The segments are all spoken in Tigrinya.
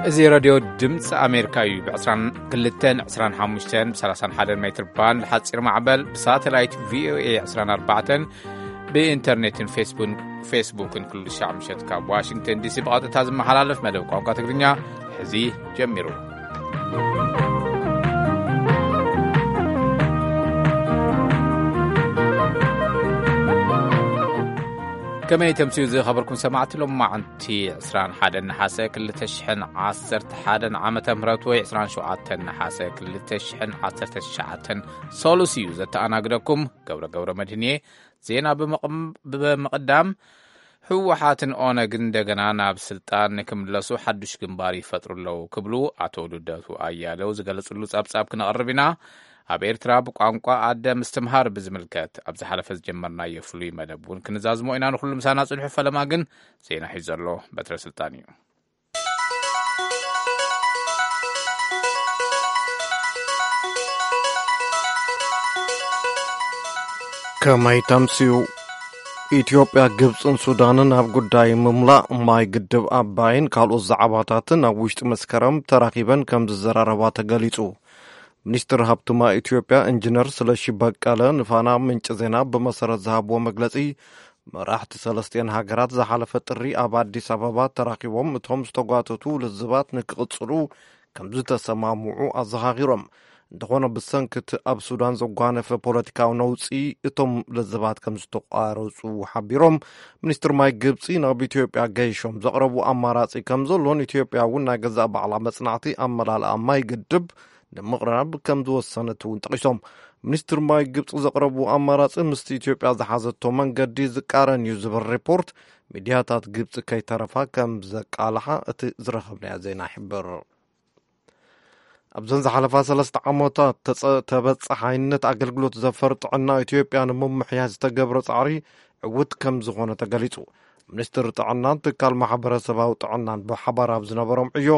እዚ ሬድዮ ድምፂ ኣሜሪካ እዩ። ብ22፣ 25፣ ብ31 ሜትር ባንድ ሓፂር ማዕበል፣ ብሳተላይት ቪኦኤ 24፣ ብኢንተርኔትን ፌስቡን-፣ ፌስቡክን ኩሉ ሻዕ ምሸት ካብ ዋሽንግተን ዲሲ ብቐጥታ ዝመሓላለፍ መደብ ቋንቋ ትግርኛ ሕዚ ጀሚሩ። ከመይ ተምስዩ ዝኸበርኩም ሰማዕቲ፣ ሎማዕንቲ 21 ነሓሰ 2011 ዓመተ ምህረት ወይ 27 ነሓሰ 2019 ሰሉስ እዩ። ዘተኣናግደኩም ገብረ ገብረ መድህን እየ። ዜና ብምቕም-፣ ብምቕዳም፣ ህወሓትን ኦነግን እንደገና ናብ ስልጣን ንክምለሱ ሓዱሽ ግንባር ይፈጥሩ ኣለዉ ክብሉ ኣቶ ልደቱ ኣያሌው ዝገለጽሉ ጸብጻብ ክነቕርብ ኢና። ኣብ ኤርትራ ብቋንቋ ኣደ ምስትምሃር ብዝምልከት ኣብ ዝሓለፈ ዝጀመርናዮ ፍሉይ መደብ እውን ክንዛዝሞ ኢና። ንኹሉ ምሳና ጽንሑ። ፈለማ ግን ዜና ሒዙ ዘሎ በትረ ስልጣን እዩ። ከመይ ተምስዩ? ኢትዮጵያ፣ ግብጽን ሱዳንን ኣብ ጉዳይ ምምላእ ማይ ግድብ ኣባይን ካልኦት ዛዕባታትን ኣብ ውሽጢ መስከረም ተራኺበን ከም ዝዘራረባ ተገሊጹ። ሚኒስትር ሃብቲ ማይ ኢትዮጵያ ኢንጂነር ስለሺ በቀለ ንፋና ምንጪ ዜና ብመሰረት ዝሃብዎ መግለጺ፣ መራሕቲ ሰለስቲአን ሃገራት ዝሓለፈ ጥሪ ኣብ ኣዲስ ኣበባ ተራኺቦም እቶም ዝተጓተቱ ልዝባት ንክቕጽሉ ከም ዝተሰማምዑ ኣዘኻኺሮም። እንተኾነ፣ ብሰንኪ እቲ ኣብ ሱዳን ዘጓነፈ ፖለቲካዊ ነውጺ እቶም ልዝባት ከም ዝተቋረጹ ሓቢሮም። ሚኒስትር ማይ ግብጺ ናብ ኢትዮጵያ ገይሾም ዘቕረቡ ኣማራጺ ከም ዘሎን ኢትዮጵያ እውን ናይ ገዛእ ባዕላ መጽናዕቲ ኣመላልኣ ማይ ግድብ ንምቕራብ ከም ዝወሰነት እውን ጠቒሶም። ሚኒስትር ማይ ግብጺ ዘቕረቡ ኣማራጺ ምስቲ ኢትዮጵያ ዝሓዘቶ መንገዲ ዝቃረን እዩ ዝብል ሪፖርት ሚድያታት ግብጺ ከይተረፋ ከም ዘቃልሓ እቲ ዝረኸብናዮ ዜና ይሕብር። ኣብዘን ዝሓለፋ ሰለስተ ዓመታት ተጸ-፣ ተበጻሓይነት ኣገልግሎት ዘፈር ጥዕና ኢትዮጵያ ንምምሕያሽ ዝተገብረ ጻዕሪ ዕዉት ከም ዝኾነ ተገሊጹ። ሚኒስትር ጥዕናን ትካል ማሕበረሰባዊ ጥዕናን ብሓባር ኣብ ዝነበሮም ዕዮ፣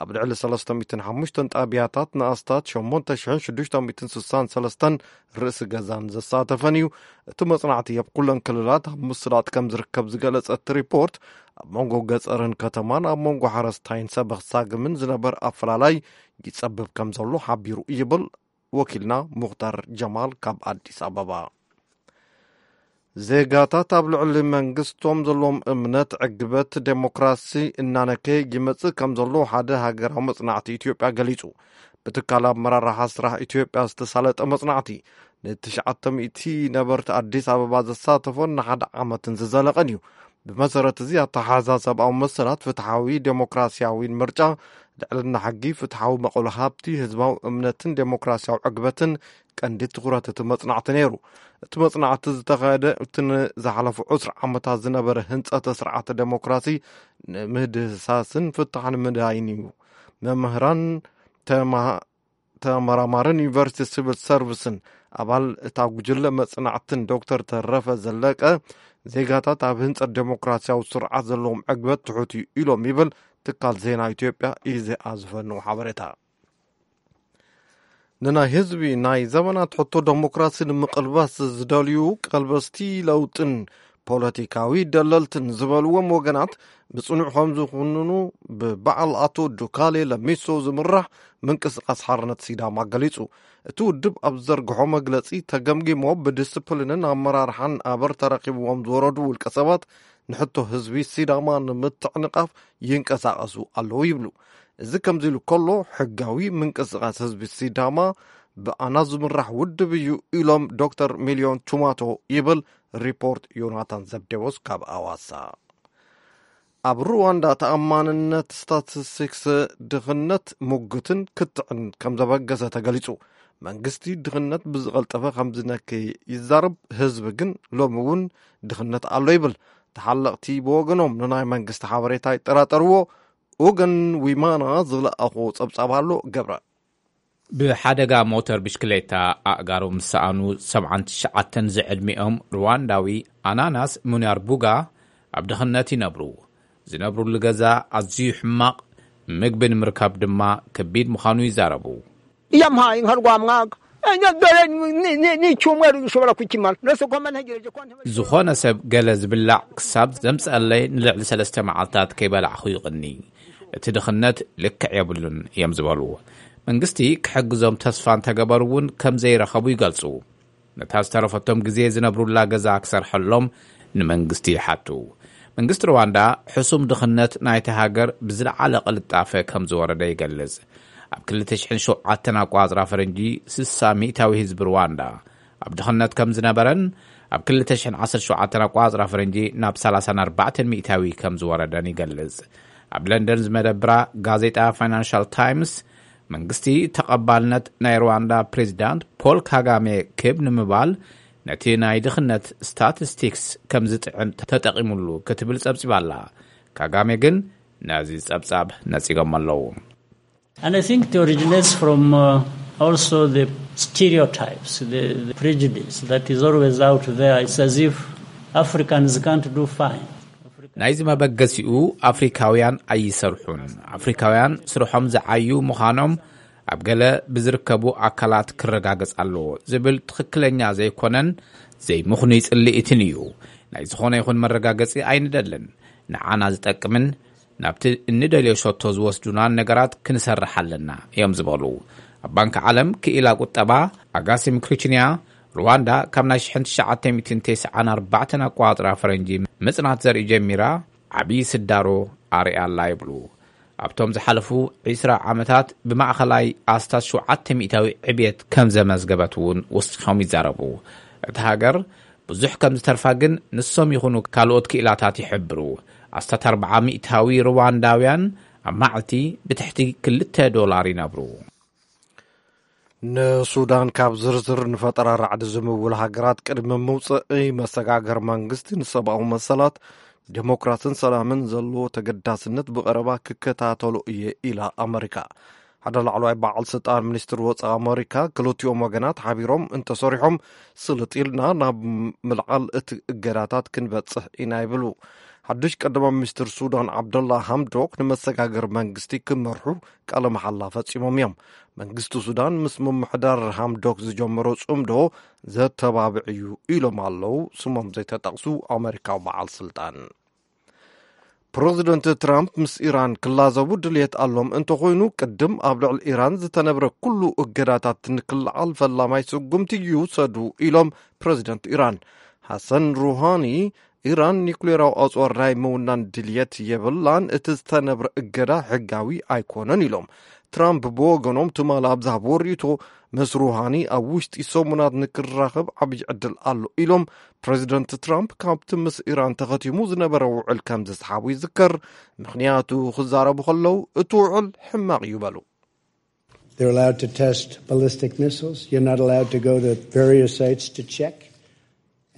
ኣብ ልዕሊ 305 ጣብያታት ንኣስታት 8,663 ርእሲ ገዛን ዘሳተፈን እዩ። እቲ መጽናዕቲ ኣብ ኩለን ክልላት ኣብ ምስላጥ ከም ዝርከብ ዝገለጸ እቲ ሪፖርት፣ ኣብ መንጎ ገጸርን ከተማን፣ ኣብ መንጎ ሓረስታይን ሰበኽ ሳግምን ዝነበር ኣፈላላይ ይጸብብ ከም ዘሎ ሓቢሩ ይብል ወኪልና ሙኽታር ጀማል ካብ ኣዲስ ኣበባ። ዜጋታት ኣብ ልዕሊ መንግስቶም ዘለዎም እምነት ዕግበት ዴሞክራሲ እናነከየ ይመጽእ ከም ዘሎ ሓደ ሃገራዊ መጽናዕቲ ኢትዮጵያ ገሊጹ። ብትካል ኣመራርሓ ስራሕ ኢትዮጵያ ዝተሳለጠ መጽናዕቲ፣ ንትሽዓተ ሚእቲ ነበርቲ ኣዲስ ኣበባ ዘሳተፎን ንሓደ ዓመትን ዝዘለቐን እዩ። ብመሰረት እዚ ኣተሓሕዛ ሰብኣዊ መሰላት፣ ፍትሓዊ ዴሞክራሲያዊን ምርጫ፣ ልዕልና ሕጊ፣ ፍትሓዊ መቐሎ ሃብቲ፣ ህዝባዊ እምነትን ዴሞክራሲያዊ ዕግበትን ቀንዲ ትኹረት እቲ መጽናዕቲ ነይሩ። እቲ መጽናዕቲ ዝተኻየደ እቲ ንዝሓለፉ ዕስራ ዓመታት ዝነበረ ህንጸተ ስርዓተ ዴሞክራሲ ንምህድህሳስን ፍታሕ ንምድሃይን እዩ። መምህራን፣ ተማ-፣ ተመራማርን ዩኒቨርሲቲ ሲቪል ሰርቪስን ኣባል እታ ጉጅለ መጽናዕትን ዶክተር ተረፈ ዘለቀ፣ ዜጋታት ኣብ ህንጸት ዴሞክራሲያዊ ስርዓት ዘለዎም ዕግበት ትሑት እዩ ኢሎም ይብል ትካል ዜና ኢትዮጵያ ኢዜኣ ዝፈነው ሓበሬታ። ንናይ ህዝቢ ናይ ዘመናት ሕቶ ዴሞክራሲ ንምቕልባስ ዝደልዩ ቀልበስቲ ለውጥን ፖለቲካዊ ደለልትን ዝበልዎም ወገናት ብጽኑዕ ከም ዝኹንኑ ብበዓል ኣቶ ዱካሌ ለሚሶ ዝምራሕ ምንቅስቃስ ሓርነት ሲዳማ ገሊጹ። እቲ ውድብ ኣብ ዝዘርግሖ መግለጺ፣ ተገምጊሞ ብዲስፕሊንን ኣመራርሓን ኣበር ተረኺብዎም ዝወረዱ ውልቀ ሰባት ንሕቶ ህዝቢ ሲዳማ ንምትዕንቃፍ ይንቀሳቐሱ ኣለዉ ይብሉ። እዚ ከምዚ ኢሉ ከሎ፣ ሕጋዊ ምንቅስቃስ ህዝቢ ሲዳማ ብኣና ዝምራሕ ውድብ እዩ ኢሎም ዶክተር ሚልዮን ቹማቶ ይብል ሪፖርት ዮናታን ዘብዴዎስ ካብ ኣዋሳ። ኣብ ሩዋንዳ ተኣማንነት ስታቲስቲክስ ድኽነት ሙግትን ክትዕን ከም ዘበገሰ ተገሊጹ። መንግስቲ ድኽነት ብዝቐልጠፈ ከም ዝነከየ ይዛረብ፣ ህዝቢ ግን ሎሚ እውን ድኽነት ኣሎ ይብል። ተሓለቕቲ ብወገኖም ንናይ መንግስቲ ሓበሬታ ይጠራጠርዎ። ኡገን ዊማና ዝለኣኾ ጸብጻብ ኣሎ። ገብረ። ብሓደጋ ሞተር ብሽክሌታ ኣእጋሮም ዝሰኣኑ 79 ዝዕድሚኦም ሩዋንዳዊ ኣናናስ ሙኒያርቡጋ ኣብ ድኽነት ይነብሩ። ዝነብሩሉ ገዛ ኣዝዩ ሕማቕ፣ ምግቢ ንምርካብ ድማ ከቢድ ምዃኑ ይዛረቡ። Yampaye nkarwamwaga, dore n'icyumweru gishobora kukimara. Nose ko mba ntegereje ko ntebe- ዝኾነ ሰብ ገለ ዝብላዕ ክሳብ ዘምጽአለይ ንልዕሊ ሰለስተ መዓልታት ከይበላዕኹ ይቕኒ። እቲ ድኽነት ልክዕ የብሉን እዮም ዝበሉ። መንግስቲ ክሕግዞም ተስፋ እንተገበሩ እውን ከም ዘይረኸቡ ይገልጹ። ነታ ዝተረፈቶም ግዜ ዝነብሩላ ገዛ ክሰርሐሎም ንመንግስቲ ይሓቱ። መንግስቲ ሩዋንዳ ሕሱም ድኽነት ናይቲ ሃገር ብዝለዓለ ቅልጣፈ ከም ዝወረደ ይገልጽ። ኣብ ክልተ ሽሕን ሸውዓተን ኣቋጽራ ፈረንጂ ስሳ ሚእታዊ ህዝቢ ሩዋንዳ ኣብ ድኽነት ከም ዝነበረን ኣብ ክልተ ሽሕን ዓሰርተ ሸውዓተን ኣቋጽራ ፈረንጂ ናብ ሰላሳን ኣርባዕተን ሚእታዊ ከም ዝወረደን ይገልጽ። ኣብ ለንደን ዝመደብራ ጋዜጣ ፋይናንሻል ታይምስ መንግስቲ ተቐባልነት ናይ ሩዋንዳ ፕሬዚዳንት ፖል ካጋሜ ክብ ንምባል ነቲ ናይ ድኽነት ስታቲስቲክስ ከም ዝጥዕን ተጠቒሙሉ ክትብል ጸብጺባ ኣላ። ካጋሜ ግን ነዚ ጸብጻብ ነጺጎም ኣለዉ። And I think it originates from uh, also the stereotypes, the, the prejudice that is always out there. It's as if Africans can't do fine. ናይዚ መበገሲኡ ኣፍሪካውያን ኣይሰርሑን፣ ኣፍሪካውያን ስርሖም ዝዓዩ ምዃኖም ኣብ ገለ ብዝርከቡ ኣካላት ክረጋገጽ ኣለዎ ዝብል ትኽክለኛ ዘይኮነን ዘይምኽኑይ ጽልኢትን እዩ። ናይ ዝኾነ ይኹን መረጋገጺ ኣይንደልን። ንዓና ዝጠቅምን ናብቲ እንደልዮ ሸቶ ዝወስዱናን ነገራት ክንሰርሕ ኣለና እዮም ዝበሉ። ኣብ ባንክ ዓለም ክኢላ ቁጠባ ኣጋሲም ክሪችንያ፣ ሩዋንዳ ካብ ናይ ሽሕን ትሽዓተ ሚእትን ተስዓን ኣርባዕተን ኣቋጽራ ፈረንጂ ምጽናት ዘርኢ ጀሚራ ዓብዪ ስዳሮ ኣርያ ኣላ ይብሉ። ኣብቶም ዝሓለፉ ዒስራ ዓመታት ብማእኸላይ ኣስታት ሸውዓተ ሚእታዊ ዕብየት ከም ዘመዝገበት እውን ወሲኾም ይዛረቡ። እታ ሃገር ብዙሕ ከም ዝተርፋ ግን ንሶም ይኹኑ ካልኦት ክኢላታት ይሕብሩ። ኣስታት ኣርብዓ ሚእታዊ ሩዋንዳውያን ኣብ መዓልቲ ብትሕቲ ክልተ ዶላር ይነብሩ። ንሱዳን ካብ ዝርዝር ንፈጠራ ራዕዲ ዝምውል ሃገራት ቅድሚ ምውፅእ መሰጋገር መንግስቲ ንሰብኣዊ መሰላት፣ ዴሞክራስን ሰላምን ዘለዎ ተገዳስነት ብቐረባ ክከታተሎ እየ ኢላ ኣመሪካ። ሓደ ላዕለዋይ በዓል ስልጣን ሚኒስትር ወፃኢ ኣመሪካ ክልቲኦም ወገናት ሓቢሮም እንተሰሪሖም ስልጥ ኢልና ናብ ምልዓል እቲ እገዳታት ክንበፅሕ ኢና ይብሉ። ሓዱሽ ቀዳማይ ሚኒስትር ሱዳን ዓብደላ ሃምዶክ ንመሰጋገር መንግስቲ ክመርሑ ቃለ መሓላ ፈፂሞም እዮም። መንግስቲ ሱዳን ምስ ምምሕዳር ሃምዶክ ዝጀመሮ ፅምዶ ዘተባብዕ እዩ ኢሎም ኣለዉ ስሞም ዘይተጠቕሱ ኣመሪካዊ በዓል ስልጣን። ፕረዚደንት ትራምፕ ምስ ኢራን ክላዘቡ ድልየት ኣሎም እንተኾይኑ ቅድም ኣብ ልዕሊ ኢራን ዝተነብረ ኩሉ እገዳታት ንክልዓል ፈላማይ ስጉምቲ ይውሰዱ ኢሎም ፕረዚደንት ኢራን። ሓሰን ሩሃኒ ኢራን ኒኩሌራዊ ኣፅዋር ናይ ምውናን ድልየት የብላን፣ እቲ ዝተነብረ እገዳ ሕጋዊ ኣይኮነን ኢሎም። ትራምፕ ብወገኖም ትማሊ ኣብ ዝሃብዎ ርእይቶ ምስ ሩሃኒ ኣብ ውሽጢ ሰሙናት ንክራኸብ ዓብዪ ዕድል ኣሎ ኢሎም። ፕረዚደንት ትራምፕ ካብቲ ምስ ኢራን ተኸቲሙ ዝነበረ ውዕል ከም ዝሰሓቡ ይዝከር። ምኽንያቱ ክዛረቡ ከለዉ እቲ ውዕል ሕማቕ እዩ በሉ። They're allowed to test ballistic missiles. You're not allowed to go to various sites to check.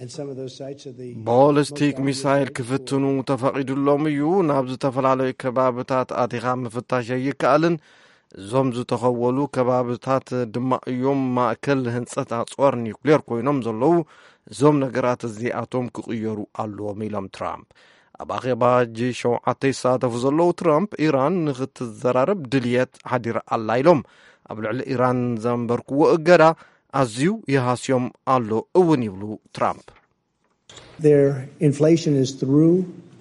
And some of those sites are the ቦሊስቲክ ሚሳይል ክፍትኑ ተፈቒዱሎም እዩ። ናብ ዝተፈላለዩ ከባብታት ኣቲኻ ምፍታሽ ኣይከኣልን። እዞም ዝተኸወሉ ከባብታት ድማ እዮም ማእከል ህንፀት ኣፅዋር ኒውክሌር ኮይኖም ዘለዉ። እዞም ነገራት እዚኣቶም ክቕየሩ ኣለዎም ኢሎም ትራምፕ። ኣብ ኣኼባ ጂ ሸውዓተ ይሳተፉ ዘለዉ ትራምፕ ኢራን ንክትዘራረብ ድልየት ሓዲራ ኣላ ኢሎም። ኣብ ልዕሊ ኢራን ዘንበርክዎ እገዳ ኣዝዩ ይሃስዮም ኣሎ እውን ይብሉ ትራምፕ። Their inflation is through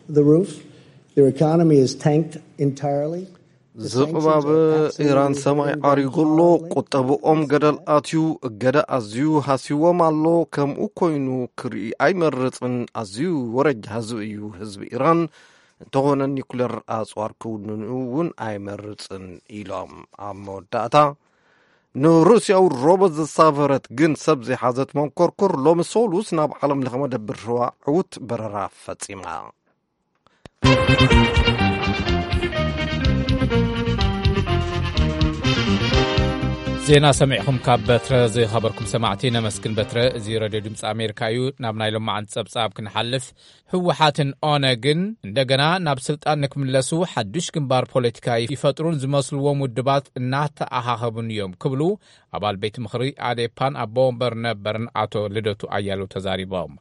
the roof. Their economy is tanked entirely. ዝቕባብ ኢራን ሰማይ ዓሪጉ ኣሎ። ቁጠብኦም ገደል ኣትዩ፣ እገዳ ኣዝዩ ሃስይዎም ኣሎ። ከምኡ ኮይኑ ክርኢ ኣይመርፅን። ኣዝዩ ወረጃ ህዝቢ እዩ ህዝቢ ኢራን። እንተኾነ ኒኩሌር ኣፅዋር ክውንኑ እውን ኣይመርፅን ኢሎም። ኣብ መወዳእታ ንሩስያዊ ሮቦት ዘሳፈረት ግን ሰብ ዘይሓዘት መንኮርኮር ሎሚ ሰሉስ ናብ ዓለም ለኸ መደብር ህዋ ዕውት በረራ ፈጺማ። ዜና ሰሚዕኹም ካብ በትረ ዝኸበርኩም ሰማዕቲ ነመስግን። በትረ፣ እዚ ረድዮ ድምፂ ኣሜሪካ እዩ። ናብ ናይ ሎማዓንቲ ጸብጻብ ክንሓልፍ፣ ህወሓትን ኦነግን እንደገና ናብ ስልጣን ንክምለሱ ሓዱሽ ግንባር ፖለቲካ ይፈጥሩን ዝመስልዎም ውድባት እናተኣኻኸቡን እዮም ክብሉ ኣባል ቤት ምኽሪ ኣዴፓን ኣቦ ወንበር ነበርን ኣቶ ልደቱ ኣያሌው ተዛሪቦም።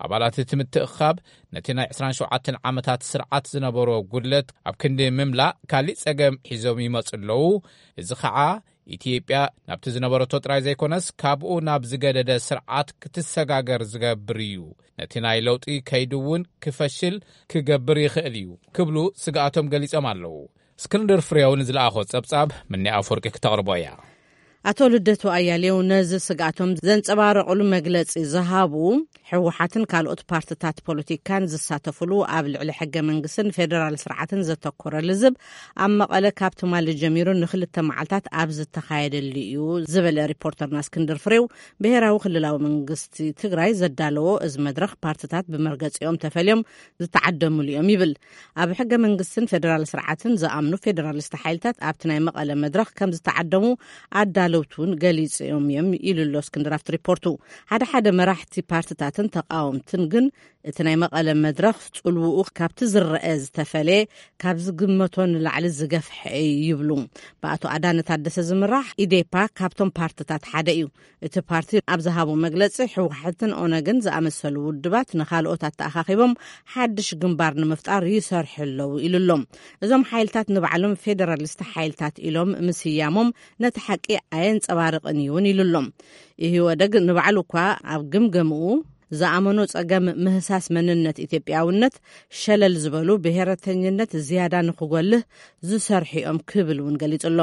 ኣባላት እቲ ምትእኽኻብ ነቲ ናይ ዕስራን ሸውዓተን ዓመታት ስርዓት ዝነበሮ ጉድለት ኣብ ክንዲ ምምላእ ካሊእ ጸገም ሒዞም ይመጹ ኣለዉ። እዚ ኸዓ ኢትዮጵያ ናብቲ ዝነበረቶ ጥራይ ዘይኮነስ ካብኡ ናብ ዝገደደ ስርዓት ክትሰጋገር ዝገብር እዩ። ነቲ ናይ ለውጢ ከይዲ እውን ክፈሽል ክገብር ይኽእል እዩ ክብሉ ስግኣቶም ገሊጾም ኣለዉ። እስክንድር ፍሬው ንዝለኣኾ ጸብጻብ ምኒ ኣፈወርቂ ክተቕርቦ እያ። ኣቶ ልደቱ ኣያሌው ነዚ ስግኣቶም ዘንጸባረቑሉ መግለጺ ዝሃቡ፣ ህወሓትን ካልኦት ፓርትታት ፖለቲካን ዝሳተፉሉ ኣብ ልዕሊ ሕገ መንግስትን ፌደራል ስርዓትን ዘተኮረ ልዝብ ኣብ መቐለ ካብ ትማሊ ጀሚሩ ንክልተ መዓልታት ኣብ ዝተኻየደሉ እዩ ዝበለ ሪፖርተርና እስክንድር ፍሬው፣ ብሄራዊ ክልላዊ መንግስቲ ትግራይ ዘዳለዎ እዚ መድረኽ ፓርትታት ብመርገጺኦም ተፈልዮም ዝተዓደሙሉ እዮም ይብል። ኣብ ሕገ መንግስትን ፌደራል ስርዓትን ዝኣምኑ ፌደራሊስት ሓይልታት ኣብቲ ናይ መቐለ መድረኽ ከም ዝተዓደሙ ኣዳለውቲ እውን ገሊጾም እዮም ኢሉ ኣሎ እስክንድር ኣብቲ ሪፖርቱ። ሓደ ሓደ መራሕቲ ፓርትታትን ተቃወምትን ግን እቲ ናይ መቐለ መድረኽ ጽልውኡ ካብቲ ዝረአ ዝተፈለየ፣ ካብ ዝግመቶ ንላዕሊ ዝገፍሐ እዩ ይብሉ። ብኣቶ ኣዳነ ታደሰ ዝምራሕ ኢዴፓ ካብቶም ፓርትታት ሓደ እዩ። እቲ ፓርቲ ኣብ ዝሃቦ መግለጺ፣ ህወሓትን ኦነግን ዝኣመሰሉ ውድባት ንኻልኦት ኣተኣኻኺቦም ሓድሽ ግንባር ንምፍጣር ይሰርሑ ኣለዉ ኢሉ ኣሎ። እዞም ሓይልታት ንባዕሎም ፌደራሊስት ሓይልታት ኢሎም ምስያሞም ነቲ ሓቂ ኣየንጸባርቕን እዩ እውን ኢሉ ኣሎ። ኢህወደግ ንባዕሉ እኳ ኣብ ግምገምኡ ዝኣመኖ ጸገም ምህሳስ መንነት ኢትዮጵያውነት ሸለል ዝበሉ ብሄረተኝነት ዝያዳ ንኽጎልህ ዝሰርሑ እዮም ክብል እውን ገሊጹ ኣሎ።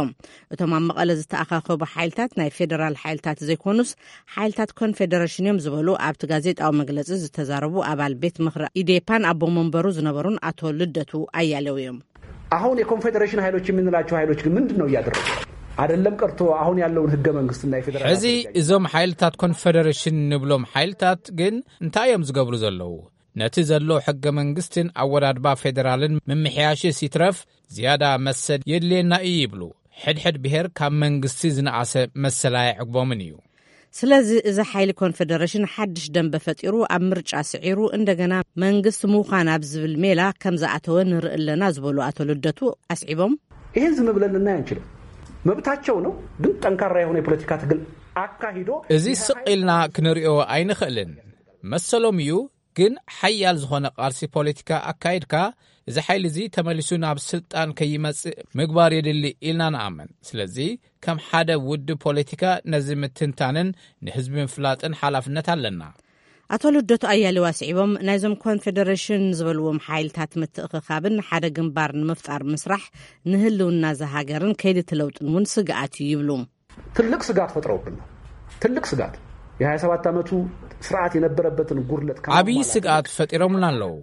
እቶም ኣብ መቐለ ዝተኣኻኸቡ ሓይልታት ናይ ፌደራል ሓይልታት ዘይኮኑስ ሓይልታት ኮንፌደሬሽን እዮም ዝበሉ ኣብቲ ጋዜጣዊ መግለጺ ዝተዛረቡ ኣባል ቤት ምኽሪ ኢዴፓን ኣቦ መንበሩ ዝነበሩን ኣቶ ልደቱ ኣያሌው እዮም። አሁን የኮንፌዴሬሽን ኃይሎች የምንላቸው ኃይሎች ግን ምንድን ነው እያደረጉ? አይደለም ቀርቶ አሁን ያለውን ህገ መንግስትና የፌዴራል ሕዚ እዞም ሓይልታት ኮንፌደሬሽን ንብሎም ሓይልታት ግን እንታይ እዮም ዝገብሩ ዘለዉ? ነቲ ዘሎ ሕገ መንግስትን ኣወዳድባ ፌዴራልን ምምሕያሽስ ይትረፍ ዝያዳ መሰል የድልየና እዩ ይብሉ። ሕድሕድ ብሔር ካብ መንግስቲ ዝነኣሰ መሰል ኣየዕግቦምን እዩ። ስለዚ እዚ ሓይሊ ኮንፌደሬሽን ሓድሽ ደንበ ፈጢሩ ኣብ ምርጫ ስዒሩ እንደገና መንግስቲ ምዃን ኣብ ዝብል ሜላ ከም ዝኣተወ ንርኢ ኣለና ዝበሉ ኣቶ ልደቱ ኣስዒቦም፣ ይህን ዝም ብለን ልናይ አንችልም። መብታቸው ነው፣ ግን ጠንካራ የሆነ የፖለቲካ ትግል አካሂዶ እዚ ስቕ ኢልና ክንሪኦ ኣይንኽእልን። መሰሎም እዩ፣ ግን ሓያል ዝኾነ ቃልሲ ፖለቲካ ኣካይድካ እዚ ሓይሊ እዚ ተመሊሱ ናብ ስልጣን ከይመጽእ ምግባር የድሊ ኢልና ንኣምን። ስለዚ ከም ሓደ ውድብ ፖለቲካ ነዚ ምትንታንን ንህዝቢ ምፍላጥን ሓላፍነት ኣለና። ኣቶ ልደቱ ኣያሌው ኣስዒቦም፣ ናይዞም ኮንፌደሬሽን ዝበልዎም ሓይልታት ምትእኽኻብን ሓደ ግንባር ንምፍጣር ምስራሕ ንህልውና እዛ ሃገርን ከይዲ እቲ ለውጥን እውን ስግኣት እዩ ይብሉ። ትልቅ ስጋት ፈጥረውብን ነው። ትልቅ ስጋት። የ27 ዓመቱ ስርዓት የነበረበትን ጉድለት ከማሟላት ዓብዪ ስግኣት ፈጢሮምና ኣለዉ።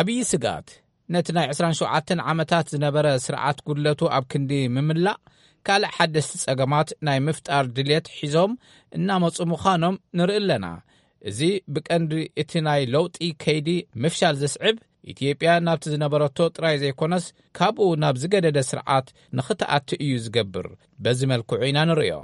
ዓብዪ ስግኣት። ነቲ ናይ 27 ዓመታት ዝነበረ ስርዓት ጉድለቱ ኣብ ክንዲ ምምላእ ካልእ ሓደስቲ ጸገማት ናይ ምፍጣር ድልየት ሒዞም እናመጹ ምዃኖም ንርኢ ኣለና። እዚ ብቀንዲ እቲ ናይ ለውጢ ከይዲ ምፍሻል ዘስዕብ፣ ኢትዮጵያ ናብቲ ዝነበረቶ ጥራይ ዘይኮነስ ካብኡ ናብ ዝገደደ ስርዓት ንኽትኣቱ እዩ ዝገብር። በዚ መልክዑ ኢና ንርእዮ።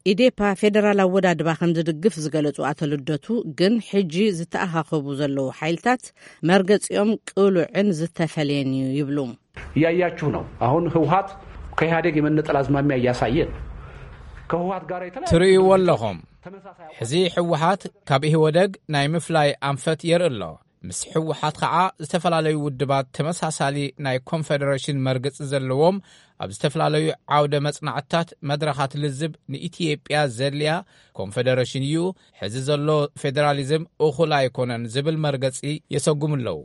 ኢዴፓ ፌደራል ኣወዳድባ ከም ዝድግፍ ዝገለጹ ኣቶ ልደቱ ግን ሕጂ ዝተኣኻኸቡ ዘለዉ ሓይልታት መርገጺኦም ቅሉዕን ዝተፈለየን እዩ ይብሉ። እያያችሁ ነው። አሁን ህወሓት ከኢህአዴግ የመነጠል አዝማሚያ እያሳየ ነው። ከህወሓት ጋር የተለያዩ ትርእይዎ ኣለኹም። ሕዚ ህወሓት ካብ ኢህወደግ ናይ ምፍላይ ኣንፈት የርኢ ኣሎ። ምስ ህወሓት ኸዓ ዝተፈላለዩ ውድባት ተመሳሳሊ ናይ ኮንፌደሬሽን መርገጺ ዘለዎም ኣብ ዝተፈላለዩ ዓውደ መጽናዕትታት መድረኻት ልዝብ ንኢትዮጵያ ዘድልያ ኮንፌደሬሽን እዩ። ሕዚ ዘሎ ፌዴራሊዝም እኹል ኣይኮነን ዝብል መርገጺ የሰጉሙ ኣለዉ።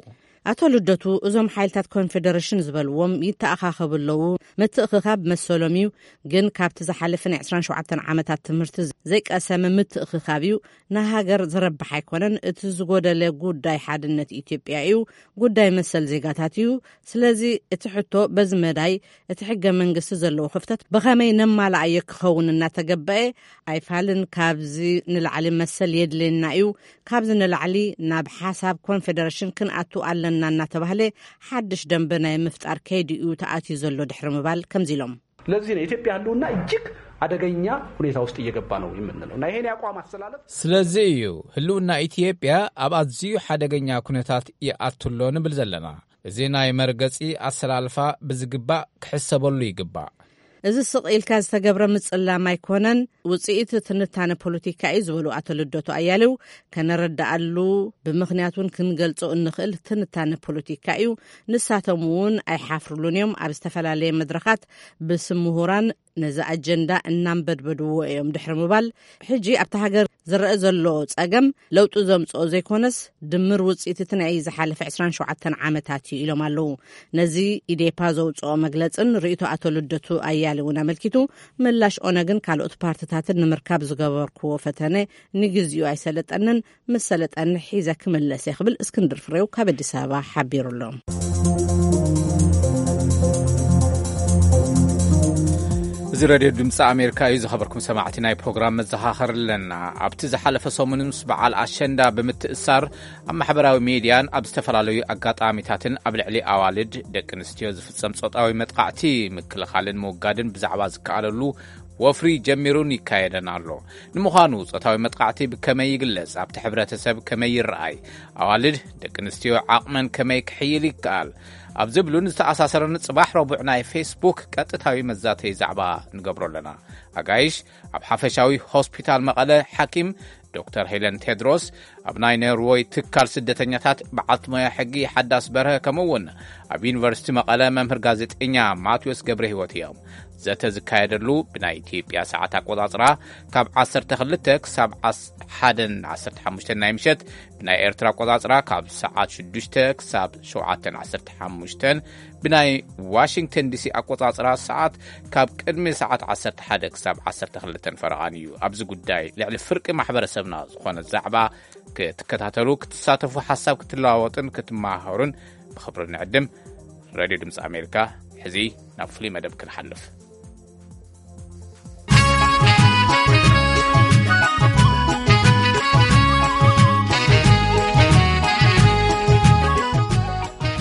ኣቶ ልደቱ እዞም ሓይልታት ኮንፌደሬሽን ዝበልዎም ይተኣኻኸቡ ኣለዉ። ምትእኽኻብ መሰሎም እዩ፣ ግን ካብቲ ዝሓለፈ ናይ 27 ዓመታት ትምህርቲ ዘይቀሰመ ምትእኽኻብ እዩ። ንሃገር ዝረብሕ ኣይኮነን። እቲ ዝጎደለ ጉዳይ ሓድነት ኢትዮጵያ እዩ፣ ጉዳይ መሰል ዜጋታት እዩ። ስለዚ እቲ ሕቶ በዚ መዳይ እቲ ሕገ መንግስቲ ዘለዎ ክፍተት ብኸመይ ነማልኣዮ ክኸውን እናተገበአ ኣይፋልን። ካብዚ ንላዕሊ መሰል የድልየና እዩ። ካብዚ ንላዕሊ ናብ ሓሳብ ኮንፌደሬሽን ክንኣቱ ኣለና እናተባህለ ሓድሽ ደንበ ናይ ምፍጣር ከይዲ እዩ ተኣትዩ ዘሎ ድሕሪ ምባል ከምዚ ኢሎም። ለዚህ ነው የኢትዮጵያ ህልውና እጅግ አደገኛ ሁኔታ ውስጥ እየገባ ነው የምንለው እና ይሄን የአቋም አሰላለፍ ስለዚ እዩ ህልውና ኢትዮጵያ ኣብ ኣዝዩ ሓደገኛ ኩነታት ይኣቱ ኣሎ ንብል ዘለና። እዚ ናይ መርገጺ ኣሰላልፋ ብዝግባእ ክሕሰበሉ ይግባእ። እዚ ስቕ ኢልካ ዝተገብረ ምጽላም ኣይኮነን፣ ውጽኢት ትንታነ ፖለቲካ እዩ ዝበሉ ኣቶ ልደቱ ኣያሌው፣ ከነረዳኣሉ ብምኽንያት እውን ክንገልጾ እንኽእል ትንታነ ፖለቲካ እዩ። ንሳቶም እውን ኣይሓፍርሉን እዮም። ኣብ ዝተፈላለየ መድረኻት ብስም ምሁራን ነዚ ኣጀንዳ እናንበድበድዎ እዮም ድሕሪ ምባል፣ ሕጂ ኣብታ ሃገር ዝረአ ዘሎ ጸገም ለውጢ ዘምጽኦ ዘይኮነስ፣ ድምር ውጽኢት እቲ ናይ ዝሓለፈ ዕስራን ሸውዓተን ዓመታት እዩ ኢሎም ኣለዉ። ነዚ ኢዴፓ ዘውጽኦ መግለጽን ርእይቶ ኣቶ ልደቱ ኣያሌውን ኣመልኪቱ፣ ምላሽ ኦነግን ካልኦት ፓርትታትን ንምርካብ ዝገበርክዎ ፈተነ ንግዚኡ ኣይሰለጠንን፣ ምስ ሰለጠኒ ሒዘ ክምለስ እየ ክብል እስክንድር ፍሬው ካብ ኣዲስ ኣበባ ሓቢሩ ኣሎ። እዚ ሬድዮ ድምፂ ኣሜሪካ እዩ። ዝኸበርኩም ሰማዕቲ፣ ናይ ፕሮግራም መዘኻኸሪ ኣለና። ኣብቲ ዝሓለፈ ሰሙን ምስ በዓል ኣሸንዳ ብምትእሳር ኣብ ማሕበራዊ ሜድያን ኣብ ዝተፈላለዩ ኣጋጣሚታትን ኣብ ልዕሊ ኣዋልድ፣ ደቂ ኣንስትዮ ዝፍጸም ጾታዊ መጥቃዕቲ ምክልኻልን ምውጋድን ብዛዕባ ዝከኣለሉ ወፍሪ ጀሚሩን ይካየደን ኣሎ። ንምዃኑ ጾታዊ መጥቃዕቲ ብከመይ ይግለጽ? ኣብቲ ሕብረተሰብ ከመይ ይረኣይ? ኣዋልድ፣ ደቂ ኣንስትዮ ዓቕመን ከመይ ክሕይል ይከኣል? ኣብ ዝብሉን ዝተኣሳሰረን ጽባሕ ረቡዕ ናይ ፌስቡክ ቀጥታዊ መዛተይ ዛዕባ ንገብሮ ኣለና። ኣጋይሽ፣ ኣብ ሓፈሻዊ ሆስፒታል መቐለ ሓኪም ዶክተር ሄለን ቴድሮስ፣ ኣብ ናይ ኖርወይ ትካል ስደተኛታት በዓልቲ ሞያ ሕጊ ሓዳስ በርሀ፣ ከምኡ እውን ኣብ ዩኒቨርሲቲ መቐለ መምህር ጋዜጠኛ ማቴዎስ ገብረ ህይወት እዮም። ዘተ ዝካየደሉ ብናይ ኢትዮጵያ ሰዓት ኣቆጻጽራ ካብ ዓሰርተ ክልተ ክሳብ ዓስ-፣ ሓደን ዓሰርተ ሓሙሽተን ናይ ምሸት፣ ብናይ ኤርትራ ኣቆጻጽራ ካብ ሰዓት ሽዱሽተ ክሳብ ሸውዓተን ዓሰርተ ሓሙሽተን፣ ብናይ ዋሽንግተን ዲሲ ኣቆጻጽራ ሰዓት ካብ ቅድሚ ሰዓት ዓሰርተ ሓደ ክሳብ ዓሰርተ ክልተን ፈረቓን እዩ። ኣብዚ ጉዳይ ልዕሊ ፍርቂ ማሕበረሰብና ዝኾነ ዛዕባ ክትከታተሉ፣ ክትሳተፉ፣ ሓሳብ ክትለዋወጥን ክትመሃሩን ብኽብሪ ንዕድም። ሬድዮ ድምፂ ኣሜሪካ፣ ሕዚ ናብ ፍሉይ መደብ ክንሓልፍ።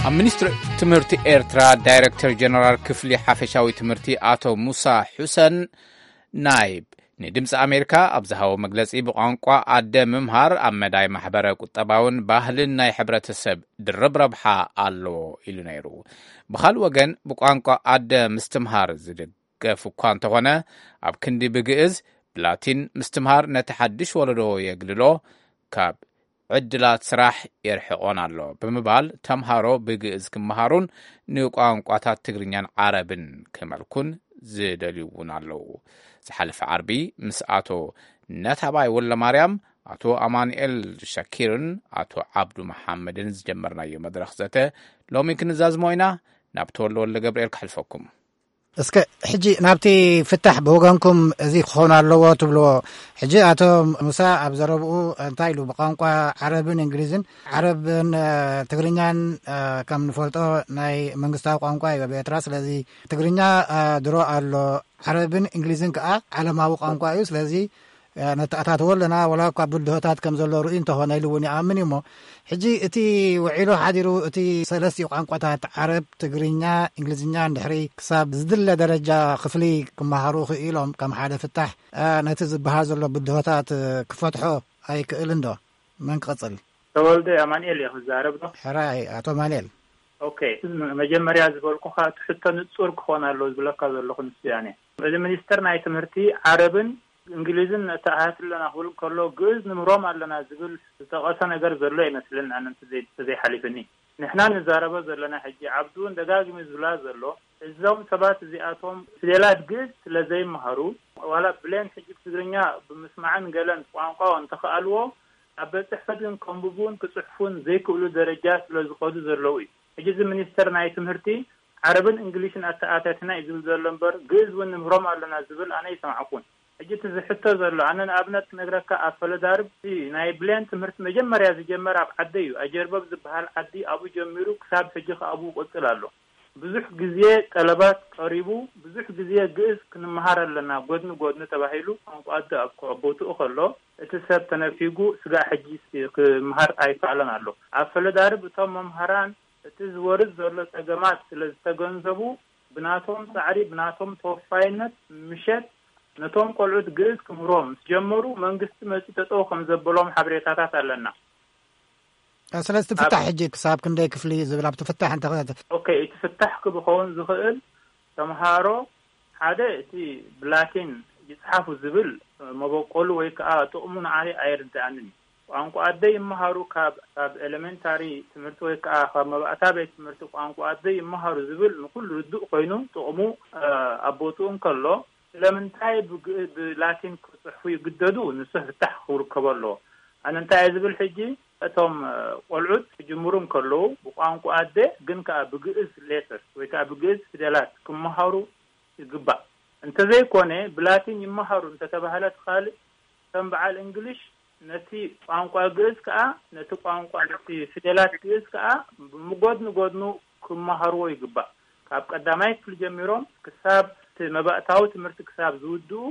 ኣብ ሚኒስትሪ ትምህርቲ ኤርትራ ዳይሬክተር ጀነራል ክፍሊ ሓፈሻዊ ትምህርቲ ኣቶ ሙሳ ሑሰን ናይብ ንድምፂ ኣሜሪካ ኣብ ዝሃቦ መግለፂ፣ ብቋንቋ ኣደ ምምሃር ኣብ መዳይ ማሕበረ ቁጠባውን ባህልን ናይ ሕብረተሰብ ድርብ ረብሓ ኣለዎ ኢሉ ነይሩ። ብኻልእ ወገን፣ ብቋንቋ ኣደ ምስትምሃር ዝድገፍ እኳ እንተኾነ፣ ኣብ ክንዲ ብግእዝ ብላቲን ምስትምሃር ነቲ ሓድሽ ወለዶ የግልሎ፣ ካብ ዕድላት ስራሕ የርሕቖን ኣሎ ብምባል፣ ተምሃሮ ብግእዝ ክመሃሩን ንቋንቋታት ትግርኛን ዓረብን ክመልኩን ዝደልዩ እውን ኣለዉ። ዝሓለፈ ዓርቢ ምስ ኣቶ ነታባይ ወልደማርያም፣ ኣቶ ኣማኑኤል ሻኪርን ኣቶ ዓብዱ መሓመድን ዝጀመርናዮ መድረኽ ዘተ ሎሚ ክንዛዝሞ ኢና። ናብ ተወልደ ወልደ ገብርኤል ከሕልፈኩም። እስከ ሕጂ ናብቲ ፍታሕ ብወገንኩም እዚ ክኸውን ኣለዎ ትብልዎ። ሕጂ ኣቶ ሙሳ ኣብ ዘረብኡ እንታይ ኢሉ? ብቋንቋ ዓረብን እንግሊዝን፣ ዓረብን፣ እ፣ ትግርኛን፣ እ፣ ከም ንፈልጦ ናይ መንግስታዊ ቋንቋ እዩ ኣብ ኤርትራ። ስለዚ ትግርኛ፣ እ፣ ድሮ ኣሎ፣ ዓረብን እንግሊዝን ከኣ ዓለማዊ ቋንቋ እዩ። ስለዚ፣ እ፣ ነተኣታትዎ ኣለና፣ ወላ እኳ ብድሆታት ከም ዘሎ ርእዩ እንተኾነ ኢሉ እውን ይኣምን እዩ። እሞ ሕጂ እቲ ውዒሉ ሓዲሩ እቲ ሰለስቲኡ ቋንቋታት ዓረብ፣ ትግርኛ፣ እንግሊዝኛ እንድሕሪ ክሳብ ዝድለ ደረጃ ክፍሊ ክመሃሩ ክኢሎም ከም ሓደ ፍታሕ፣ እ፣ ነቲ ዝበሃል ዘሎ ብድሆታት፣ እ፣ ክፈትሖ ኣይክእልን ዶ? መን ክቕጽል? ተወልደ ኣማኑኤል እየ ክዛረብ ዶ? ሕራይ፣ ኣቶ ኣማኑኤል። ኦኬ፣ መጀመርያ ዝበልኩኻ እቲ ሕቶ ንጹር ክኾን ኣለዎ ዝብለካ ዘለኹ ንሱ እያ። እዚ ሚኒስተር ናይ ትምህርቲ ዓረብን እንግሊዝን ነተኣታቲ ኣለና ክብል ከሎ፣ ግእዝ ንምህሮም ኣለና ዝብል ዝጠቐሰ ነገር ዘሎ ኣይመስልን፣ ኣነ እንተዘይ-፣ እንተዘይሓሊፍኒ። ንሕና ንዛረቦ ዘለና ሕጂ፣ ዓብዱ እውን ደጋጊሙ ዝብላ ዘሎ፣ እዞም ሰባት እዚኣቶም ፊደላት ግእዝ ስለ ዘይመሃሩ፣ ዋላ ብሌን ሕጂ ትግርኛ ብምስማዕን ገለን ቋንቋ እንተኸኣልዎ፣ ኣብ ቤት ጽሕፈት ግን ከንብቡን ክጽሕፉን ዘይክእሉ ደረጃ ስለ ዝኸዱ ዘለዉ እዩ። ሕጂ እዚ ሚኒስተር ናይ ትምህርቲ፣ ዓረብን እንግሊሽን ኣተኣታትና እዩ ዝብል ዘሎ እምበር፣ ግእዝ እውን ንምህሮም ኣለና ዝብል ኣነ ኣይሰማዕኩን። ሕጂ እቲ ዝሕቶ ዘሎ፣ ኣነ ንኣብነት ክነግረካ፣ ኣብ ፈለዳርብ እቲ ናይ ብሌን ትምህርቲ መጀመርያ ዝጀመረ ኣብ ዓደይ እዩ። ኣጀርበብ ዝበሃል ዓዲ ኣብኡ ጀሚሩ ክሳብ ሕጂ ከኣ ኣብኡ ይቕጽል ኣሎ። ብዙሕ ግዜ ጠለባት ቀሪቡ፣ ብዙሕ ግዜ ግእዝ ክንመሃር ኣለና፣ ጎድኒ ጎድኒ ተባሂሉ፣ ቋንቋ ኣደ ኣብ ቦትኡ ከሎ፣ እቲ ሰብ ተነፊጉ፣ ስጋዕ ሕጂ ክመሃር ኣይከኣለን ኣሎ። ኣብ ፈለዳርብ እቶም መምሃራን እቲ ዝወርድ ዘሎ ጸገማት ስለ ዝተገንዘቡ፣ ብናቶም ጻዕሪ፣ ብናቶም ተወፋይነት፣ ምሸት ነቶም ቆልዑት ግእዝ ክምህሮም ምስ ጀመሩ፣ መንግስቲ መጺኡ ጠጠው ከም ዘበሎም ሓበሬታታት ኣለና። እ፣ ስለዚ እቲ ኣብ ፍታሕ ሕጂ ክሳብ ክንደይ ክፍሊ ዝብል ኣብቲ ፍታሕ እንተ ኦኬ፣ እቲ ፍታሕ ክኸውን ዝኽእል፣ ተምሃሮ ሓደ እቲ ብላቲን ይጽሓፉ ዝብል መበቆሉ ወይ ከኣ ጥቕሙ ንዓይ ኣይርድኣንን እዩ። ቋንቋ ኣደይ ይመሃሩ፣ ካብ፣ ካብ ኤሌመንታሪ ትምህርቲ ወይ ከኣ ካብ መባእታ ቤት ትምህርቲ ቋንቋ ኣደይ ይመሃሩ ዝብል ንኹሉ ርዱእ ኮይኑ፣ ጥቕሙ፣ እ፣ ኣብ ቦትኡ እንከሎ፣ ስለምንታይ ብግ-፣ ብላቲን ክጽሕፉ ይግደዱ? ንሱ ፍታሕ ክርከቦ ኣለዎ። ኣነ እንታይ እየ ዝብል ሕጂ፣ እቶም፣ እ፣ ቆልዑት ክጅምሩ እንከለዉ ብቋንቋ ኣደ ግን ከኣ ብግእዝ ሌተርስ ወይ ከኣ ብግእዝ ፊደላት ክመሃሩ ይግባእ። እንተዘይኮነ ብላቲን ይመሃሩ እንተተባህለ እቲ ካልእ ከም በዓል እንግሊሽ ነቲ ቋንቋ ግእዝ ከኣ፣ ነቲ ቋንቋ፣ ነቲ ፊደላት ግእዝ ከኣ ብጎድኒ ጎድኑ ክመሃርዎ ይግባእ። ካብ ቀዳማይ ክፍሊ ጀሚሮም ክሳብ እቲ መባእታዊ ትምህርቲ ክሳብ ዝውድኡ፣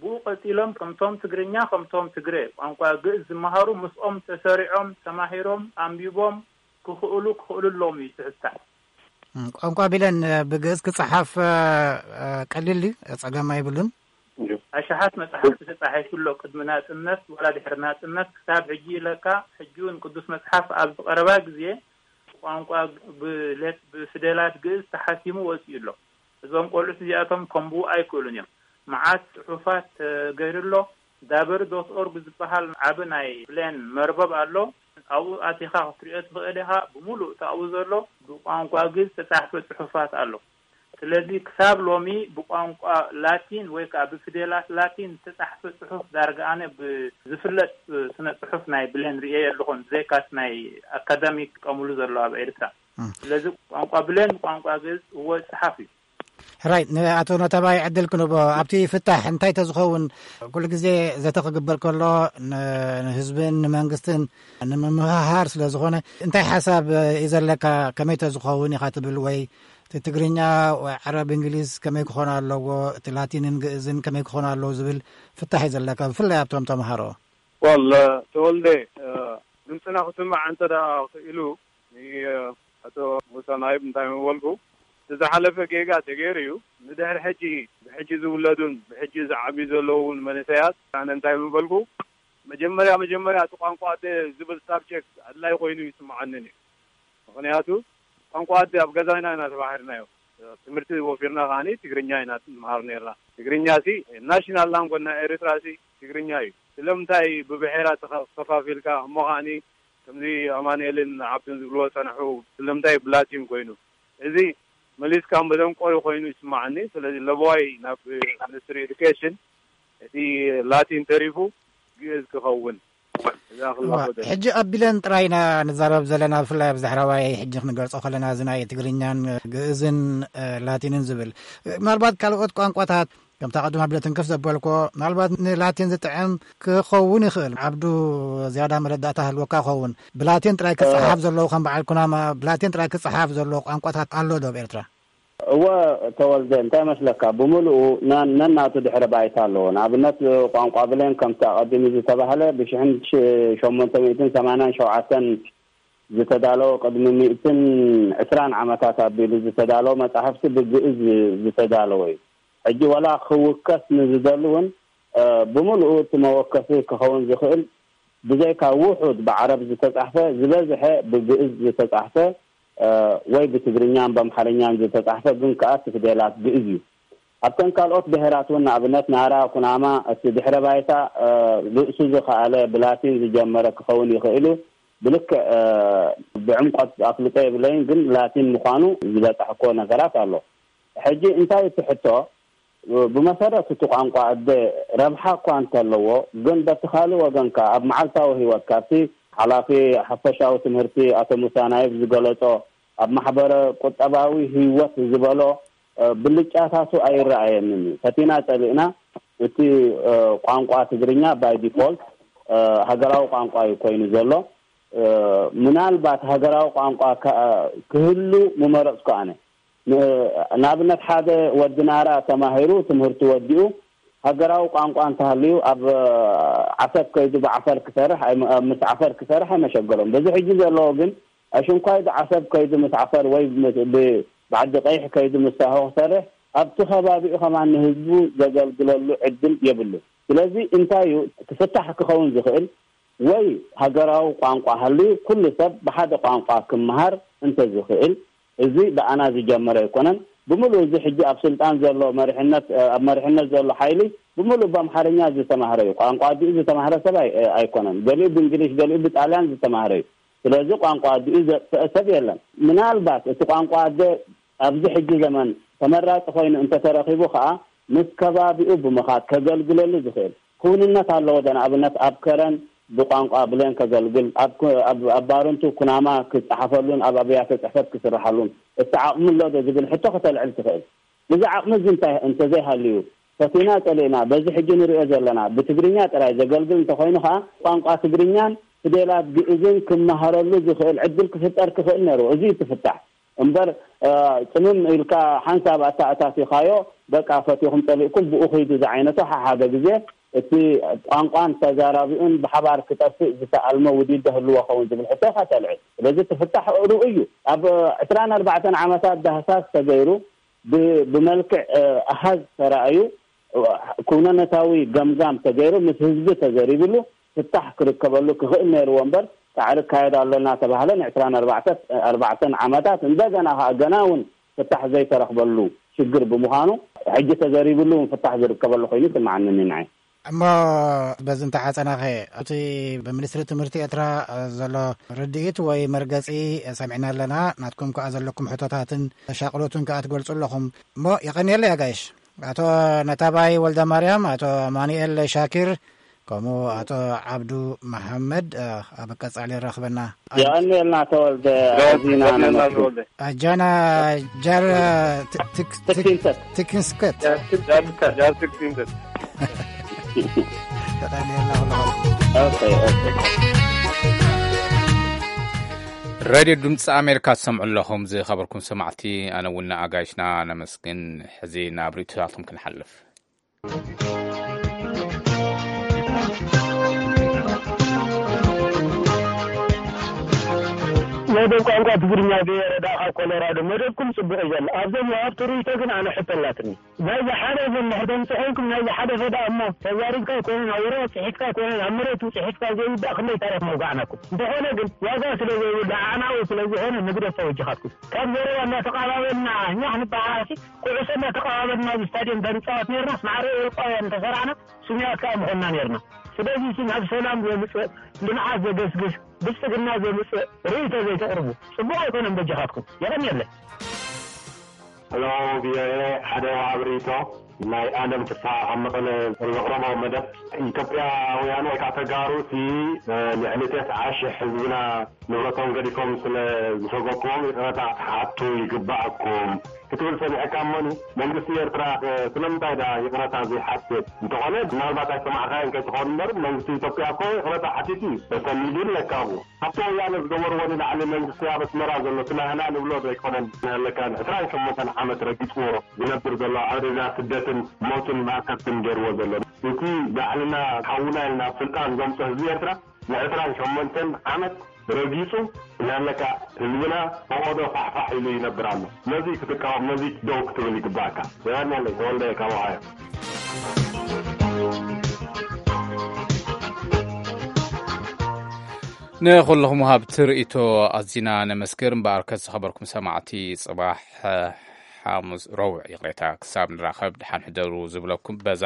ብኡ ቀጺሎም ከምቶም ትግርኛ፣ ከምቶም ትግረ ቋንቋ ግእዝ ዝመሃሩ ምስኦም ተሰሪዖም፣ ተማሂሮም፣ ኣንቢቦም ክኽእሉ፣ ክኽእሉ ኣለዎም እዩ ትሕዝታ። እም፣ ቋንቋ ቢለን፣ እ፣ ብግእዝ ክጸሓፍ፣ እ፣ እ፣ ቀሊል ድዩ? ጸገም ኣይብሉን? እዩ። ኣሽሓት መጽሓፍቲ ተጻሒፉ ኣሎ። ቅድሚ ናጽነት ዋላ ድሕሪ ናጽነት ክሳብ ሕጂ ኢለካ፣ ሕጂ እውን ቅዱስ መጽሓፍ ኣብ ዝቐረባ ግዜ ብቋንቋ ብሌት-፣ ብፊደላት ግእዝ ተሓቲሙ ወጺኡ ኣሎ። እዞም ቆልዑት እዚኣቶም ከንብቡ ኣይክእሉን እዮም። መዓት ጽሑፋት ተገይሩ ኣሎ። ዳበሪ ዶት ኦርግ ዝበሃል ዓቢ ናይ ብሌን መርበብ ኣሎ። ኣብኡ ኣቲኻ ክትሪኦ ትኽእል ኢኻ። ብምሉእ እቲ ኣብኡ ዘሎ ብቋንቋ ግእዝ ዝተጻሕፈ ጽሑፋት ኣሎ። ስለዚ ክሳብ ሎሚ ብቋንቋ ላቲን ወይ ከኣ ብፊደላት ላቲን ዝተጻሕፈ ጽሑፍ ዳርጋ ኣነ ብዝፍለጥ ስነ ጽሑፍ ናይ ብሌን ርእየ ኣለኹን፣ ብዘይካስ ናይ ኣካዳሚክ ጥቀምሉ ዘሎ ኣብ ኤርትራ። እም። ስለዚ ቋንቋ ብሌን ብቋንቋ ግእዝ እወ ይጽሓፍ እዩ። ሕራይ፣ ንኣቶ ነተባይ ዕድል ክንቦ። ኣብቲ ፍታሕ እንታይ ተዝኸውን? ኩሉ ግዜ ዘተ ክግበር ከሎ ን-፣ ንህዝብን ንመንግስትን ንምምሃሃር ስለ ዝኾነ፣ እንታይ ሓሳብ እዩ ዘለካ? ከመይ ተዝኸውን ኢኻ ትብል? ወይ እቲ ትግርኛ ወይ ዓረብ እንግሊዝ ከመይ ክኾን ኣለዎ? እቲ ላቲንን ግእዝን ከመይ ክኾን ኣለዎ ዝብል ፍታሕ እዩ ዘለካ፣ ብፍላይ ኣብቶም ተምሃሮ? ወል፣ ተወልደ፣ እ፣ ድምፅና ክስማዕ እንተ ደኣ ክኢሉ፣ እ፣ ኣቶ ሙሳ ናይብ እንታይ ምበልኩ? እቲ ዝሓለፈ ጌጋ ተገይሩ እዩ። ንድሕሪ ሕጂ፣ ብሕጂ ዝውለዱን ብሕጂ ዝዓብዩ ዘለውን መንእሰያት ኣነ እንታይ ምበልኩ? መጀመርያ፣ መጀመርያ እቲ ቋንቋ ኣደ ዝብል ሳብጀክት ኣድላይ ኮይኑ ይስምዓንን እዩ። ምኽንያቱ ቋንቋ ኣደ ኣብ ገዛና ኢና ተማሂርናዮ። ትምህርቲ ወፊርና ከዓኒ ትግርኛ ኢና ንመሃር ነርና። ትግርኛ ሲ ናሽናል ላንጎጅ ናይ ኤርትራ ሲ ትግርኛ እዩ። ስለምንታይ ብብሔራት ተኸ-፣ ከፋፊልካ? እሞ ከዓኒ ከምዚ ኣማኑኤልን ዓብዱን ዝብልዎ ጸንሑ፣ ስለምንታይ ብላቲን ኮይኑ? እዚ መሊስካ መደንቆሪ ኮይኑ ይስምዓኒ። ስለዚ ለበዋይ ናብ ሚኒስትሪ ኤዱኬሽን እቲ ላቲን ተሪፉ ግእዝ ክኸውን እዛ ክላቦ እዋ፣ ደላ። ሕጂ ኣብ ቢለን ጥራይ ኢና ንዛረብ ዘለና፣ ብፍላይ ኣብ ዛሕራዋይ ሕጂ ክንገልጾ ከለና እዚ ናይ ትግርኛን ግእዝን፣ እ፣ ላቲንን ዝብል። ምናልባት ካልኦት ቋንቋታት ከምታ ቅድም ኣቢለ ትንክፍ ዘበልኮ፣ ምናልባት ንላቲን ዝጥዕም ክኸውን ይኽእል። ዓብዱ ዝያዳ መረዳእታ ህልወካ ይኸውን። ብላቲን ጥራይ ክጸሓፍ እ፣ ዘለዎ፣ ከም በዓል ኩናማ ብላቲን ጥራይ ክጸሓፍ ዘለዎ ቋንቋታት ኣሎ ዶ ኣብ ኤርትራ? እወ፣ ተወልደ፣ እንታይ መስለካ? ብምሉኡ ና-፣ ነናቱ ድሕረ ባይታ ኣለዎ። ንኣብነት፣ ቋንቋ ብሌን ከምቲ ኣቐዲሙ ዝተባህለ ብሽሕን ሸሞንተ ሚእትን ሰማንያን ሸውዓተን ዝተዳለወ፣ ቅድሚ ሚእትን ዕስራን ዓመታት ኣቢሉ ዝተዳለወ መጻሕፍቲ ብግእዝ ዝተዳለወ እዩ። ሕጂ ዋላ ክውከስ ንዝደሊ እውን፣ እ፣ ብምሉኡ እቲ መወከሲ ክኸውን ዝኽእል ብዘይካ ውሑድ ብዓረብ ዝተጻሕፈ፣ ዝበዝሐ ብግእዝ ዝተጻሕፈ፣ እ፣ ወይ ብትግርኛን በምሓርኛን ዝተጻሕፈ፣ ግን ከኣ እቲ ፊደላት ግእዝ እዩ። ኣብተን ካልኦት ብሄራት እውን፣ ንኣብነት ናራ፣ ኩናማ፣ እቲ ድሕረ ባይታ፣ እ፣ ርእሱ ዝኸኣለ ብላቲን ዝጀመረ ክኸውን ይኽእል እዩ። ብልክዕ፣ እ፣ ብዕምቆት ኣፍልጦ የብለይን፣ ግን ላቲን ምዃኑ ዝበጻሕኮ ነገራት ኣሎ። ሕጂ እንታይ እቲ ሕቶ? ብመሰረት እቲ ቋንቋ ኣደ ረብሓ እኳ እንተለዎ፣ ግን በቲ ካልእ ወገን ከኣ ኣብ መዓልታዊ ህይወት፣ ካብቲ ሓላፊ ሓፈሻዊ ትምህርቲ ኣቶ ሙሳ ናይብ ዝገለጾ፣ ኣብ ማሕበረ ቁጠባዊ ህይወት ዝበሎ፣ እ፣ ብልጫታቱ ኣይረኣየንን እዩ። ፈቲና ጸሊእና፣ እቲ፣ እ፣ ቋንቋ ትግርኛ ባይ ዲፎልት፣ እ፣ ሃገራዊ ቋንቋ እዩ ኮይኑ ዘሎ። እ፣ ምናልባት ሃገራዊ ቋንቋ ከ-፣ ክህሉ ምመረጽኩ ኣነ። ን-፣ ንኣብነት፣ ሓደ ወዲ ናራ ተማሂሩ ትምህርቱ ወዲኡ ሃገራዊ ቋንቋ እንተሃልዩ፣ ኣብ ዓሰብ ከይዱ ብዓፈር ክሰርሕ ኣይመ-፣ ምስ ዓፈር ክሰርሕ ኣይመሸገሮም። በዚ ሕጂ ዘለዎ ግን፣ ኣሽንኳይ ብዓሰብ ከይዱ ምስ ዓፈር ወይ ምስ፣ ብ-፣ ብዓዲ ቀይሕ ከይዱ ምስ ሳሆ ክሰርሕ፣ ኣብቲ ከባቢኡ ከማን ንህዝቡ ዘገልግለሉ ዕድል የብሉን። ስለዚ እንታይ እዩ እቲ ፍታሕ ክኸውን ዝኽእል? ወይ ሃገራዊ ቋንቋ ሃልዩ ኩሉ ሰብ ብሓደ ቋንቋ ክመሃር እንተዝኽእል፣ እዚ ብኣና ዝጀመረ ኣይኮነን። ብምሉእ እዚ ሕጂ ኣብ ስልጣን ዘሎ መሪሕነት፣ ኣብ መሪሕነት ዘሎ ሓይሊ ብምሉእ ብኣምሓርኛ ዝተማህረ እዩ። ቋንቋ ኣዲኡ ዝተማህረ ሰብ ኣይ-፣ ኣይኮነን። ገሊኡ ብእንግሊሽ፣ ገሊኡ ብጣልያን ዝተማህረ እዩ። ስለዚ ቋንቋ ኣዲኡ ዘጥፍአ ሰብ የለን። ምናልባት እቲ ቋንቋ ኣደ ኣብዚ ሕጂ ዘመን ተመራጺ ኮይኑ እንተተረኺቡ ከኣ፣ ምስ ከባቢኡ ብምኻድ ከገልግለሉ ዝኽእል ክውንነት ኣለዎ። ንኣብነት ኣብ ከረን ብቋንቋ ብሌን ከገልግል፣ ኣብ ኩ-፣ ኣብ፣ ኣብ ባረንቱ ኩናማ ክጸሓፈሉን ኣብ ኣብያተ ጽሕፈት ክስርሓሉን እቲ ዓቕሚ ኣሎ ዶ ዝብል ሕቶ ከተልዕል ትኽእል። እዚ ዓቕሚ እዚ እንታይ እንተዘይሃልዩ፣ ፈቲና ጸሊእና፣ በዚ ሕጂ ንሪኦ ዘለና ብትግርኛ ጥራይ ዘገልግል እንተኾይኑ ኸኣ፣ ቋንቋ ትግርኛን ፊደላት ግእዝን ክመሃረሉ ዝኽእል ዕድል ክፍጠር ክኽእል ነይሩ። እዚ እዩ እቲ ፍታሕ። እምበር፣ እ፣ ጽምም ኢልካ ሓንሳብ ኣታ-፣ ኣታቲኻዮ፣ በቃ ፈቲኹም ጸሊእኩም ብኡ ኺዱ ዝዓይነቱ ሓሓደ ግዜ እቲ ቋንቋን ተዛራቢኡን ብሓባር ክጠፍእ ዝተኣልመ ውዲት ዶ ህልዎ ኸውን ዝብል ሕቶ ኢኻ ተልዕል። ስለዚ እቲ ፍታሕ ርኡይ እዩ። ኣብ ዕስራን ኣርባዕተን ዓመታት ዳህሳስ ተገይሩ፣ ብ-፣ ብመልክዕ፣ እ፣ ኣሃዝ ተራእዩ፣ እ፣ ኩነነታዊ ገምጋም ተገይሩ፣ ምስ ህዝቢ ተዘሪብሉ፣ ፍታሕ ክርከበሉ ክኽእል ነይርዎ እምበር፣ ጻዕሪ እካየድ ኣሎ እናተባህለ ንዕስራን ኣርባዕተን ዓመታት እንደገና ኸኣ ገና እውን ፍታሕ ዘይተረኽበሉ ሽግር ብምዃኑ፣ ሕጂ ተዘሪብሉ እውን ፍታሕ ዝርከበሉ ኮይኑ ይስምዓኒ ንዓይ። እሞ በዚ እንተሓጸናኸ፣ እቲ ብሚኒስትሪ ትምህርቲ ኤርትራ ዘሎ ርድኢት ወይ መርገጺ ሰሚዕና ኣለና። ናትኩም ከኣ ዘለኩም ሕቶታትን ተሻቕሎትን ከኣ ትገልጹ ኣለኹም። እሞ የቐንየለይ ኣጋይሽ። ኣቶ ነታባይ ወልደ ማርያም፣ ኣቶ ኣማኑኤል ሻኪር፣ ከምኡ ኣቶ ዓብዱ መሓመድ፣ እ፣ ኣብ ቀጻሊ ይራኽበና። የቐንየልና ተወልደ፣ ኣዚና ነመስግን። ኣጃና ጃር፣ እ፣ ት-፣ ትክ-፣ ትክ-፣ ትክንሰት። ትክንስከት። ጃር ትክ-፣ ጃር ትክ-፣ ጃር ትክንሰት። የቐንየልና ኩሉ። ኦኬ፣ ኦኬ። ሬድዮ ድምፂ ኣሜሪካ ትሰምዑ ኣለኹም። ዝኸበርኩም ሰማዕቲ፣ ኣነ እውን ኣጋይሽና ነመስግን። ሕዚ ናብ ርእይቶታትኩም ክንሓልፍ። መደብ ቋንቋ ትግርኛ ገይረ ደኣ ካብ ኮሎራዶ መደብኩም ጽቡቕ እዩ ዘሎ። ኣብዞም ወሃብቲ ርእይቶ ግን ኣነ ሕቶ ኣላትኒ። ናይዚ ሓደ ዘሎ ሕቶ ምስ ኮይንኩም፣ ናይዚ ሓደ ፈዳ እሞ ተዛሪብካ ኣይኮነን፣ ኣብ ወረቐት ጽሒፍካ ኣይኮነን፣ ኣብ መሬት ጽሒፍካ ዘይውዳእ ክንደይ ታሪኽ መውጋዕናኩም። እንተኾነ ግን ዋጋ ስለ ዘይብሉ ኣዕናዊ ስለ ዝኾነ ንግደፎ በጃኻትኩም። ካብ ዘረባ እናተቓባበልና ኛሕ ንበሃል፣ ኩዕሶ እናተቐባበልና ኣብ ስታድዮም እንተንጻወት ነርና፣ ማዕረ ኤውሮጳውያን እንተሰራዕና፣ ስሙያት ከኣ ምኾንና ነርና። ስለዚ፣ እዚ ናብ ሰላም ዘምጽእ፣ ልምዓት ዘገስግስ፣ ብልጽግና ዘምጽእ ርእይቶ ዘይተቕርቡ፣ ጽቡቕ ኣይኮነን በጃኻትኩም። የቐንየለይ። ሄሎ፣ ቪኦኤ፣ ሓደ ወሃብ ርእይቶ ናይ ኣለም ፍስሓ ካብ መቐለ ዘቕረቦ መደብ፣ ኢትዮጵያውያን ወይ ከዓ ተጋሩ እቲ፣ እ፣ ልዕሊ ተስዓ ሽሕ ህዝብና ንብረቶም ገዲፎም ስለ ዝሰጎግዎም ይቕረታ ክትሓቱ ይግባኣኩም ክትብል ሰሚዐካ እሞኒ፣ መንግስቲ ኤርትራ፣ እ፣ ስለምንታይ ደኣ ይቕረታ ዘይሓትት? እንተኾነ ምናልባት ኣይሰማዕካዮን ከይትኸውን እምበር፣ መንግስቲ ኢትዮጵያ እኮ ይቕረታ ሓቲቱ እዩ። ተሰኒዱ ኣለካ ኣብኡ። ኣብቲ ወያነ ዝገበርዎ ንላዕሊ መንግስቲ ኣብ ኣስመራ ዘሎ እቲ ናህና ንብሎ ዶ ኣይኮነን ኣለካ ዕስራን ሸሞንተን ዓመት ረጊጽዎ ዝነብር ዘሎ ኣብ ደዛ ስደትን ሞትን ማእሰርትን ገይርዎ ዘሎ? እቲ ባዕልና ሓውና ኢልና ኣብ ስልጣን ዘምጾ ህዝቢ ኤርትራ ንዕስራን ሸሞንተን ዓመት ረጊጹ እናለካ ህዝብና ፈቖዶ ፋሕፋሕ ኢሉ ይነብር ኣሎ። ነዚ ክትቃወም፣ ነዚ ደው ክትብል ይግባእካ። የቐንየለይ፣ ተወልደ ካብ ኦሃዮ። ንኹልኹም ወሃብቲ ርእይቶ ኣዚና ነመስግን። እምበኣርከስ ዝኸበርኩም ሰማዕቲ፣ ጽባሕ ሓሙስ፣ ረቡዕ ይቕሬታ፣ ክሳብ ንራኸብ ደሓን ሕደሩ ዝብለኩም በዛ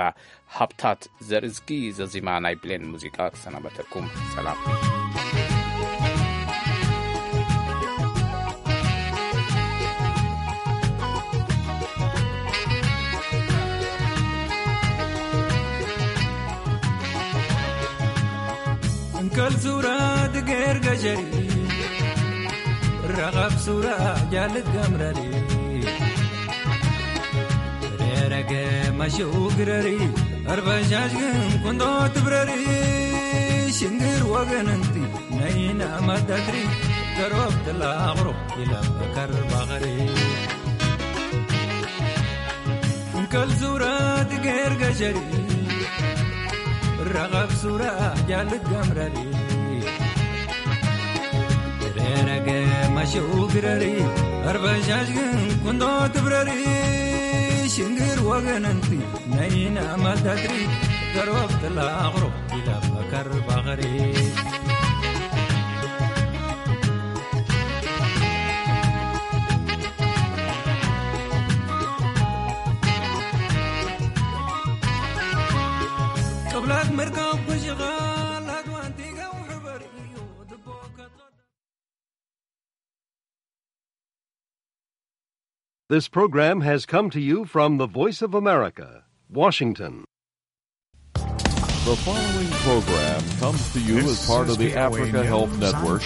ሃብታት ዘርእዝጊ ዘዚማ ናይ ብሌን ሙዚቃ ክሰናበተኩም። ሰላም። እንከል ሱራ ትገር ገሸሪ ረቐብ ሱራ ጃልት ገምረሪ ሬረገ መሽኡ ግረሪ ኣርበሻሽ ግን ኩንዶ ትብረሪ ሽንግር ወገን እንቲ ነይና መደትሪ ገሮብ ትላቕሮ ይለበከር ባኸሪ እንከል ሱራ ትገር ገሸሪ ረቐብ ሱራ ጃልት ገምረሪ ሬረገ መሽኡ ግረሪ ኣርበሻሽ ግን ኩንዶ ትብረሪ ሽንግር ወገን እንቲ ነይና መደትሪ ገሮብ ትላቕሮ ይለበከር ባኸሪ ቅብላት መርካብ ኩሽኻ ላድዋንቲ ገው ሕበር እዩ ድቦ ከቶ This program has come to you from the Voice of America, Washington. The following program comes to you as part of the Africa Health Network